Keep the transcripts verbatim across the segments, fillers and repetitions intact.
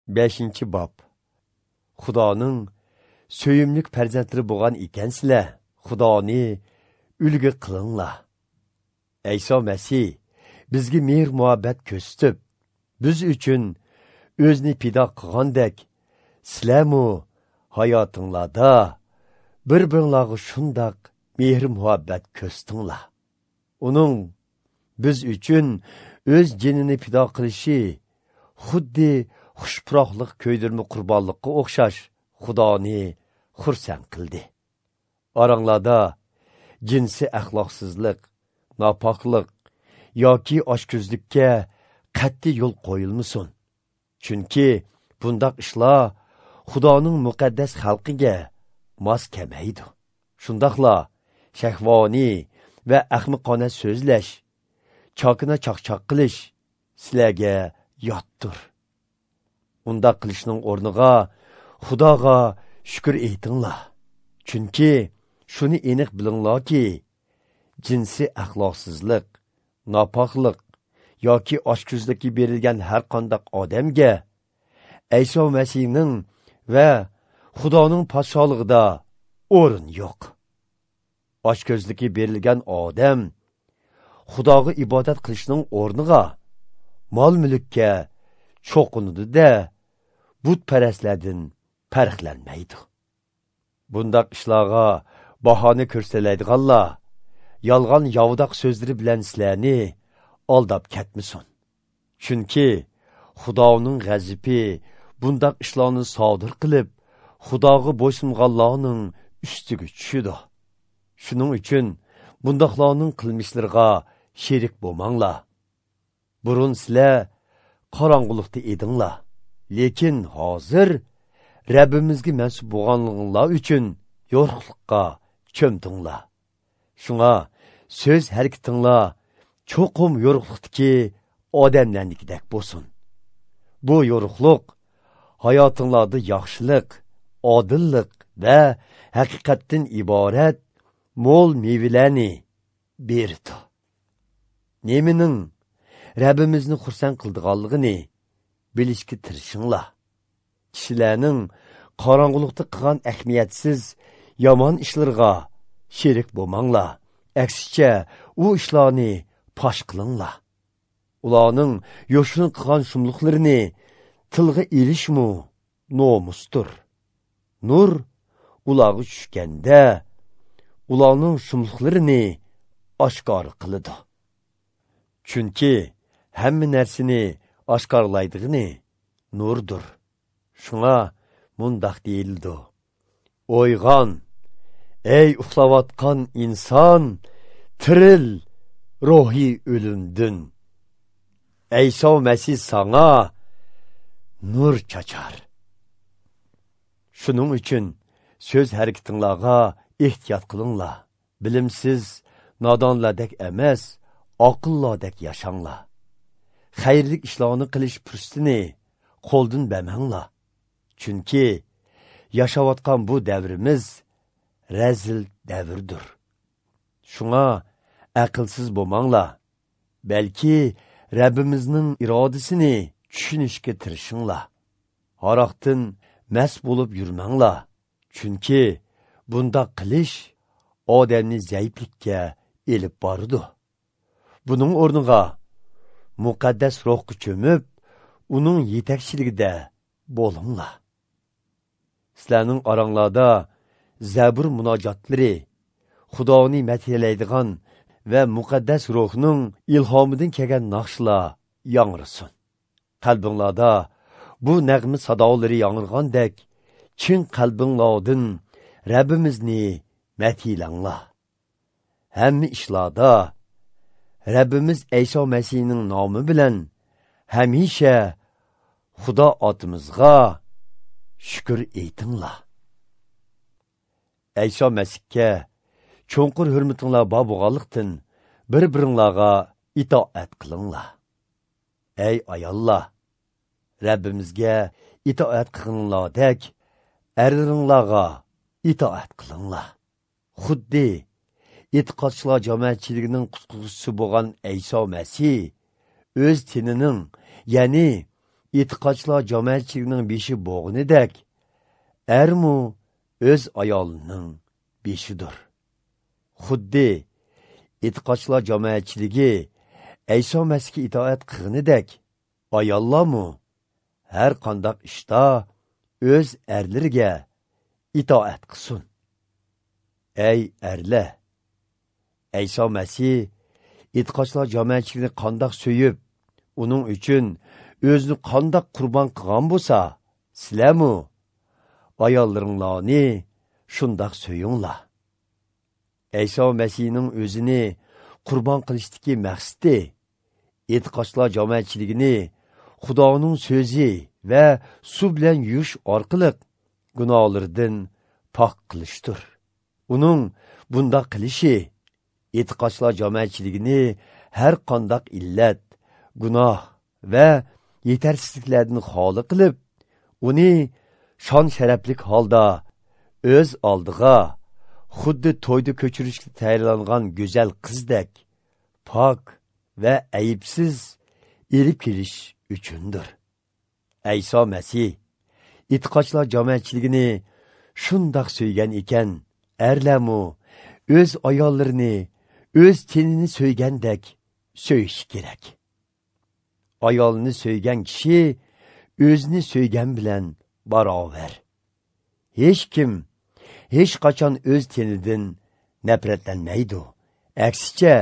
Beshinchi bob. Xudoning suyimlik farzandlari bo'lgan ekansizlar, Xudoni ulgi qilinglar. Ayso Masih bizga mehr muhabbat ko'rsatib, biz uchun o'zini fido qilgandek, sizlarmu hayotinglarda bir-biringlarga shundoq mehr muhabbat ko'rsatinglar. Uning biz uchun o'z jinini fido qilishi xuddi xushpuroqliq ko'ydirma qurbonlikqa o'xshash Xudoni xursand qildi. Oranglarda jinsiy axloqsizlik, nopoklik yoki ochko'zlikka qat'iy yo'l qo'yilmasin. Chunki bundaq ishlar Xudoning muqaddas xalqiga mos kelmaydi. Shundoqla shahvoniy va ahmoqona so'zlash, chokina chaqchaq qilish sizlarga yotdir. Undaq qilishning o'rniga Xudoga shukr aytinglar. Chunki shuni aniq bilinglarki, jinsiy axloqsizlik, nopoklik yoki ochko'zlikka berilgan har qanday odamga Ayso Masihning va Xudoning podsholig'ida o'rin yo'q. Ochko'zlikka berilgan odam Xudoga ibodat qilishning o'rniga mol-mulkka cho'qinadi-da, butparastlardan farqlanmaydi. Bundaq ishlarga bahona ko'rsalaydiganlar yolg'on yovdoq so'zlari bilan sizlarni aldab ketmasin. Chunki Xudoning g'azabi bundaq ishlarni sodir qilib, Xudoga bo'ysunganlarning ustiga tushadi. Shuning uchun bundaqlarning qilmishlariga sherik bo'lmanglar. Burun sizlar qorong'ulikda edinglar, lekin hozir Rabbimizga mansub bo'lganliginglar uchun yo'riqlikqa cho'mdinglar. Shunga so'z harakatinglar cho'qim yo'riqlikdagi odamlarnikidek bo'lsin. Bu yo'riqlik hayotinglarda yaxshilik, odillik va haqiqatdan iborat mo'l mevalarni berdi. Nemining Rabbimizni xursand qildiganligini bilishga tirishinglar. Kishilarning qorong'ulikda qilgan ahamiyatsiz yomon ishlarga sherik bo'lmanglar. Aksicha u ishlarni fosh qilinglar. Ularning yo'shin qilgan shumliqlarini tilga ilishmu nomusdir. Nur ularga tushganda ularning shumliqlarini oshkor qiladi. Chunki hamma narsani oshkorlaydigani nurdir. Shunga mundaq deyildi: O'yg'on, ey uxlayotgan inson, tiril ruhiy o'limdin. Ayso Masih sanga nur chachar. Shuning uchun so'z harakatinglarga ehtiyot qilinglar. Bilimsiz nodonlardek emas, aqllardek yashanglar. Xayrli ishlarni qilish fursatini qo'ldan bermanglar. Chunki yashayotgan bu davrimiz razil davrdir. Shunga aqlsiz bo'lmanglar, balki Rabbimizning irodasini tushunishga tirishinglar. Haroqdan mast bo'lib yurmanglar, chunki bundaq qilish odamni zaiflikka elib boradi. Buning o'rniga muqaddas ruhga cho'mib, uning yetakchiligida bo'linglar. Sizlarning oranglarda Zabur munojotlari, Xudoni madhiylaydigan va muqaddas ruhning ilhomidan kelgan naqshlar yangrasin. Qalbinglarda bu nag'ma sadolari yangragandek, chin qalbinglardan Rabbimizni madhiylanglar. Hamma ishlarda Rabbimiz Ayso Masihning nomi bilan hamisha Xudo otimizga shukr aytinglar. Ayso Masihga cho'nqur hurmatinglar bor bo'lganlikdan bir-biringlarga itoat qilinglar. Ey ayollar, Rabbimizga itoat qilinglardek erlaringlarga itoat qilinglar. Xuddi e'tiqodchilar jamoatchiligining qutquvchisi bo'lgan Ayso Masih o'z tenining, ya'ni e'tiqodchilar jamoatchiligining beshi bo'g'inidek, ermu o'z ayolining beshidir. Xuddi e'tiqodchilar jamoatchiligi Ayso Masihga itoat qilganidek, ayollarmu har qanday ishda o'z erlariga itoat qilsin. Ey erlar, Ayso Masih e'tiqodchilar jamoatchiligini qandoq so'yib, uning uchun o'zini qandoq qurbon qilgan bo'lsa, sizlarmu ayollaringlarni shundoq so'yinglar. Ayso Masihning o'zini qurbon qilishdagi maqsadi e'tiqodchilar jamoatchiligini Xudoning so'zi va suv bilan yuvish orqali gunohlardan pok qilishdir. Uning bundoq qilishi e'tiqodchilar jamoatchiligini har qanday illat, gunoh va yetarsizliklardan xoli qilib, uni shon sharaflik holda o'z oldiga xuddi to'yda ko'chirishga tayyorlangan go'zal qizdek pok va aybsiz elib kelish uchundir. Ayso Masih e'tiqodchilar jamoatchiligini shundoq so'ygan ekan, erlarmu o'z ayollarini o'z tenini so'ygandek so'yishi kerak. Ayolini so'ygan kishi o'zini so'ygan bilan barobar. Hech kim hech qachon o'z tenidan nafratlanmaydi. Aksicha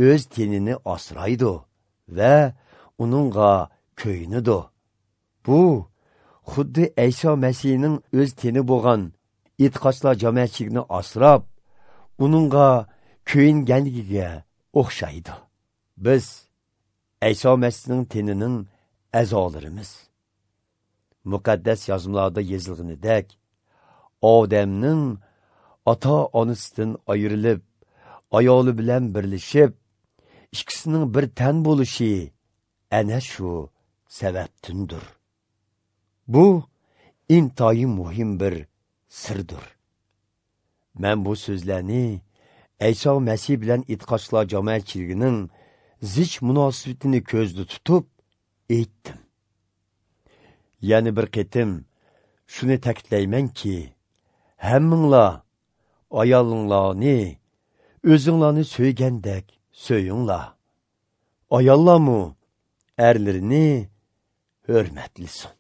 o'z tenini asraydi va uningga ko'yinadi. Bu xuddi Ayso Masihning o'z teni bo'lgan e'tiqodchilar jamoatchiligini asrab, uningga ko'yinganligiga o'xshaydi. Biz Ayso Masihning tenining a'zolarimiz. Muqaddas yozmalarda yozilganidek, Odamning ota-onasidan ayrilib, ayoli bilan birlashib, ikkisining bir tan bo'lishi ana shu sababdandir. Bu intayin muhim bir sirdir. Men bu so'zlarni Ayso Masih bilan e'tiqodchilar jamoatchiligining zich munosabatini ko'zda tutib aytdim. Yana bir qatim shuni ta'kidlaymanki, hammanglar ayolinglarni o'zinglarni so'ygandek so'yinglar. Ayollarmu erlarini hurmatlisin.